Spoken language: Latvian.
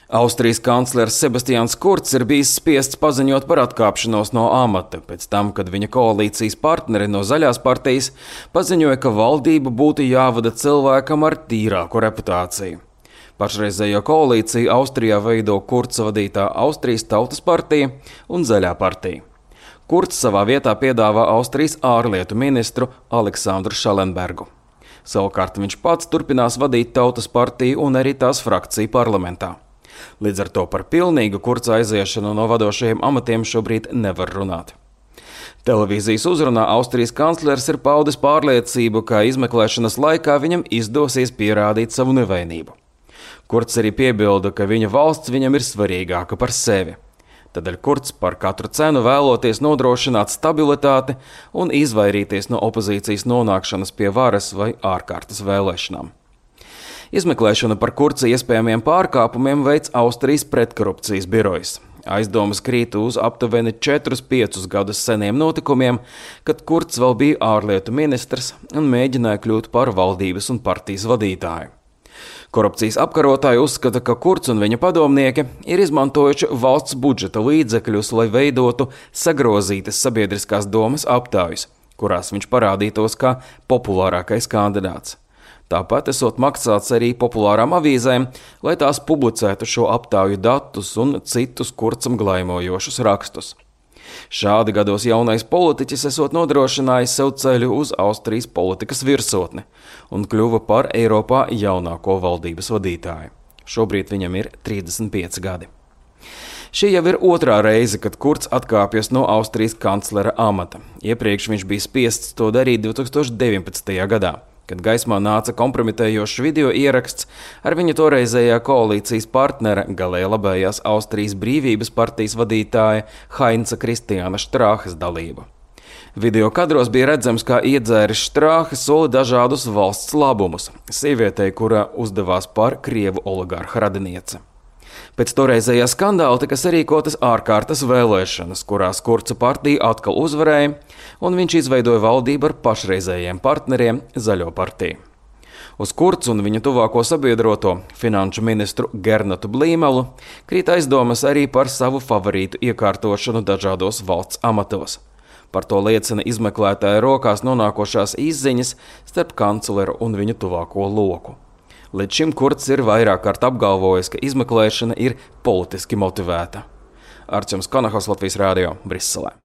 Austrijas kanclers Sebastians Kurts ir bijis spiests paziņot par atkāpšanos no amata pēc tam, kad viņa koalīcijas partneri no Zaļās partijas paziņoja, ka valdību būtu jāvada cilvēkam ar tīrāku reputāciju. Pašreizējo koalīciju Austrijā veido Kurts vadītā Austrijas Tautas partija un Zaļā partija. Kurts savā vietā piedāvā Austrijas ārlietu ministru Aleksandru Šalenbergu. Savukārt viņš pats turpinās vadīt Tautas partiju un arī tās frakciju parlamentā. Līdz ar to par pilnīgu Kurta aiziešanu no vadošajiem amatiem šobrīd nevar runāt. Televīzijas uzrunā Austrijas kanclers ir paudis pārliecību, ka izmeklēšanas laikā viņam izdosies pierādīt savu nevainību. Kurts arī piebilda, ka viņa valsts viņam ir svarīgāka par sevi. Tādēļ Kurts par katru cenu vēloties nodrošināt stabilitāti un izvairīties no opozīcijas nonākšanas pie varas vai ārkārtas vēlēšanām. Izmeklēšanu par Kurta iespējamiem pārkāpumiem veic Austrijas pretkorupcijas birojs. Aizdomas krīt uz aptuveni 4-5 gadus seniem notikumiem, kad Kurts vēl bija ārlietu ministrs un mēģināja kļūt par valdības un partijas vadītāju. Korupcijas apkarotāji uzskata, ka Kurts un viņa padomnieki ir izmantojuši valsts budžeta līdzekļus, lai veidotu sagrozītas sabiedriskās domas aptaujas, kurās viņš parādītos kā populārākais kandidāts. Tāpat esot maksāts arī populārām avīzēm, lai tās publicētu šo aptauju datus un citus Kurtam glaimojošus rakstus. Šādi gados jaunais politiķis esot nodrošinājis sev ceļu uz Austrijas politikas virsotni un kļuva par Eiropā jaunāko valdības vadītāju. Šobrīd viņam ir 35 gadi. Šī jau ir otrā reize, kad Kurts atkāpjas no Austrijas kanclera amata. Iepriekš viņš bija spiests to darīt 2019. gadā. Kad gaismā nāca kompromitējošs video ieraksts ar viņa toreizējā koalīcijas partnera, galēji labējās Austrijas brīvības partijas vadītāja Heinza Kristiāna Štrāhes dalību. Video kadros bija redzams, kā iedzēris Štrāhe soli dažādus valsts labumus sievietei, kura uzdevās par krievu oligarha radinieci. Pēc toreizējā skandāla tika sarīkotas ārkārtas vēlēšanas, kurās Kurta partija atkal uzvarēja, un viņš izveidoja valdību ar pašreizējiem partneriem Zaļo partiju. Uz Kurts un viņa tuvāko sabiedroto finanšu ministru Gernatu Blīmelu krīt aizdomas arī par savu favorītu iekārtošanu dažādos valsts amatos. Par to liecina izmeklētāja rokās nonākošās izziņas starp kancleru un viņa tuvāko loku. Līdz šim Kurts ir vairāk kārt apgalvojis, ka izmeklēšana ir politiski motivēta. Arčuns Kanahos, Latvijas Rādio, Briselē.